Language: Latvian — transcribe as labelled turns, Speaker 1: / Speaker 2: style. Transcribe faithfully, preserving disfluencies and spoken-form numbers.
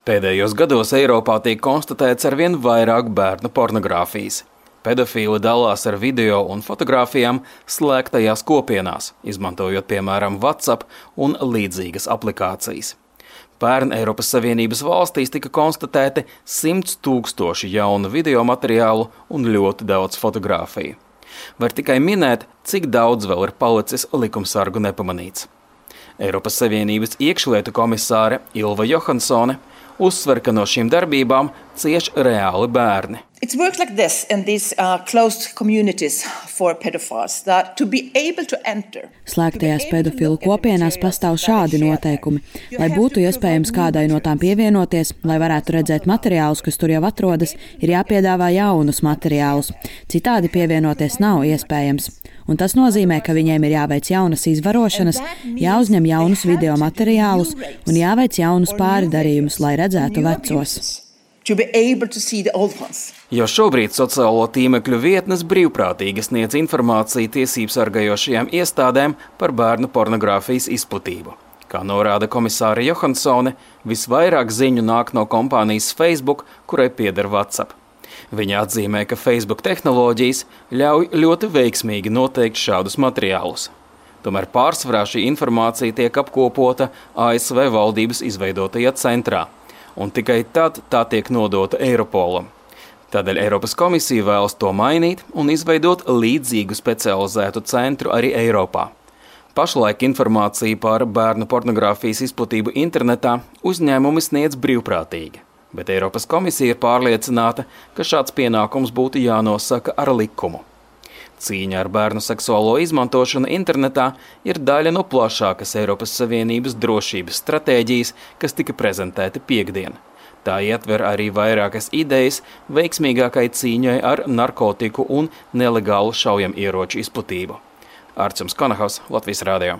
Speaker 1: Pēdējos gados Eiropā tiek konstatēts arvien vairāk bērnu pornogrāfijas. Pedofīli dalās ar video un fotogrāfijām slēgtajās kopienās, izmantojot piemēram WhatsApp un līdzīgas aplikācijas. Pērn Eiropas Savienības valstīs tika konstatēti simts tūkstoši jaunu video materiālu un ļoti daudz fotogrāfiju. Var tikai minēt, cik daudz vēl ir palicis likumsargu nepamanīts. Eiropas Savienības iekšlietu komisāre Ylva Johansone uzsver, ka no šīm darbībām cieš reāli bērni.
Speaker 2: It works like this in these uh, closed communities for pedophiles that to be able to enter.
Speaker 3: Slēgtajās pedofilu kopienās pastāv šādi noteikumi, lai būtu iespējams kādai no tām pievienoties, lai varētu redzēt materiālus, kas tur jau atrodas, ir jāpiedāvā jaunus materiālus. Citādi pievienoties nav iespējams. Un tas nozīmē, ka viņiem ir jāveic jaunas izvarošanas, jāuzņem jaunus video materiālus un jāveic jaunus pārdarījumus, lai redzētu vecos.
Speaker 1: Jo šobrīd sociālo tīmekļu vietnes brīvprātīgi sniedz informāciju tiesību sargājošajām iestādēm par bērnu pornogrāfijas izplatību. Kā norāda komisāre Johansone, visvairāk ziņu nāk no kompānijas Facebook, kurai pieder WhatsApp. Viņa atzīmē, ka Facebook tehnoloģijas ļauj ļoti veiksmīgi noteikt šādus materiālus. Tomēr pārsvarā šī informācija tiek apkopota A S V valdības izveidotajā centrā, un tikai tad tā tiek nodota Eiropolam. Tādēļ Eiropas komisija vēlas to mainīt un izveidot līdzīgu specializētu centru arī Eiropā. Pašlaik informāciju par bērnu pornogrāfijas izplatību internetā uzņēmumi sniedz brīvprātīgi. Bet Eiropas komisija ir pārliecināta, ka šāds pienākums būtu jānosaka ar likumu. Cīņa ar bērnu seksuālo izmantošanu internetā ir daļa no plašākas Eiropas Savienības drošības stratēģijas, kas tika prezentēta piektdien. Tā ietver arī vairākas idejas veiksmīgākai cīņai ar narkotiku un nelegālu šaujamieroču izplatību. Arčuns Konahaus, Latvijas radio.